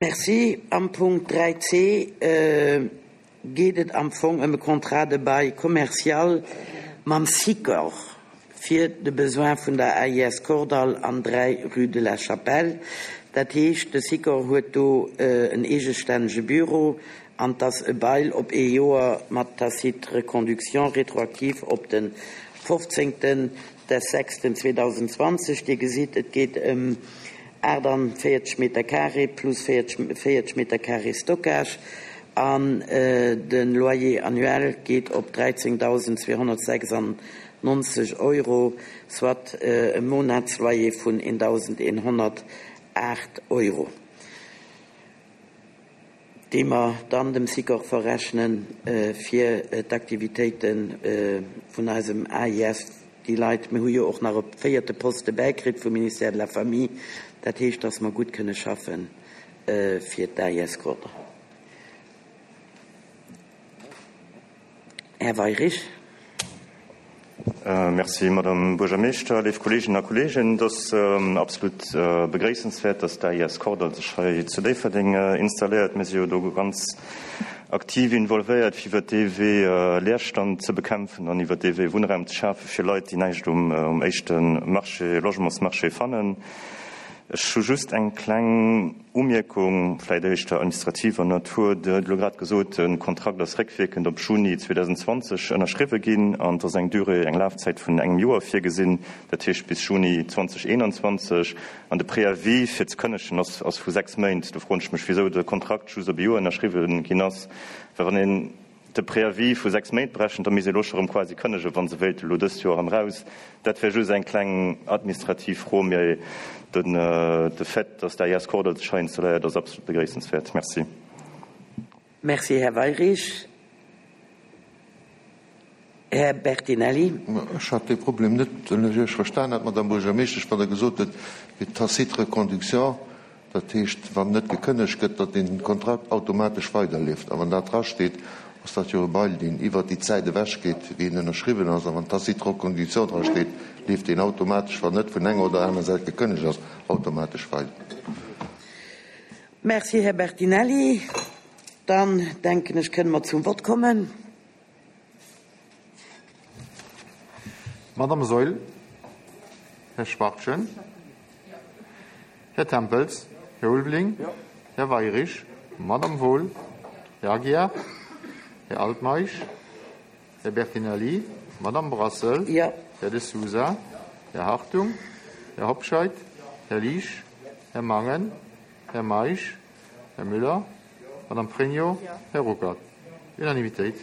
Merci. Am Punkt 3c geet et am Fong ëm e Contrat de bail commercial mam Sikor fir de Besoin vun der AIS Kordall an 3 rue de la Chapelle. Dat heescht, de Sikor huet do en eegestännege Büro an 't ass e Bail op ee Joer mat tacite reconduction rétroactive op de 15. Des sechsten 2020, Dir gesitt, et geet ëm 48 Meter carré plus 40 Meter carré Stockage an de Loyer annuel geet op 13.296 Euro, soit e Monatsloyer vun 1.108 Euro. Déi mer dann dem Sikor verrechne fir d'Aktivitéite vun eisem AIS. Déi Leit, mir hu jo och nach e véierte Poste bäikritt vum Ministère de la Famille, dat heescht, dass mer gutt kënne schaffe fir d'AIS Kordall. Här Weirich. Merci, Madame Buergermeeschter. Léif Kolleeginnen a Kolleegen, et ass absolut begréissenswäert, dass d'AIS Kordall sech hei zu Déifferdeng installéiert. Mir si jo do ganz aktiv involvéiert, fir iwwert dee Wee Leerstand ze bekämpfen an iwwert dee Wee Wunnraum ze schafe fir Leit, déi näischt um éischte Marché, Logementsmarché fannen. Ech hu just eng kleng Umierkung, vläicht éischter administrativer Natur. Dir hutt elo grad gesot, de Kontrakt ass réckwierkend op Juni 2020 ënnerschriwwe ginn an et ass eng Durée, eng Lafzäit vun engem Joer virgesinn, dat heescht bis Juni 2021. An de Préavis fir ze kënnegen ass ass vu 6 Méint. Do froen ech mech, wisou de Kontrakt just op e Joer ënnerschriwwe ginn ass, well wann een de Préavis vu 6 Méint berechent, da misst ee elo scho rëm quasi kënnegen, wa se wéilte elo dëst Joer erëm raus. Dat wär just eng kleng administrativ Fro, mee den de Fait, dass d'AIS Kordall sech hei installéiert, ass absolut begréissenswäert. Merci. Merci, Här Weyrich. Här Bertinelli. Ech hat dee Problem net, wann ech Iech verstan hat, Madame Buergermeeschtesch, wann Der gesot hutt, fir d'tacite reconduction, Dat heescht, wann net gekënnegt gëtt, datt deen Kontrakt automatesch weiderleeft. A wann dat drasteet, ass dat jo e Bail, deen iwwert déi Zäit ewechgeet, wéi en ënnerschriwwen ass. A wann tacite reconduction drasteet, leeft deen automatesch, wann net vun enger oder aner Säit gekënnegt ass, automatesch weider. Merci, Här Bertinelli. Dann, denken ech, kënne mer zum Vott kommen. Madame Saeul, Här Schwachtgen, Här Tempels, Här Ulveling, Här Weirich, Madame Wohl, Här Aguiar, Här Altmeisch, Här Bertinelli, Madame Brassel, Här De Sousa, Här Hartung, Här Hobscheit, Här Liesch, Här Mangen, Här Meisch, Här Müller, Madame Pregno, Här Ruckert. Unanimitéit.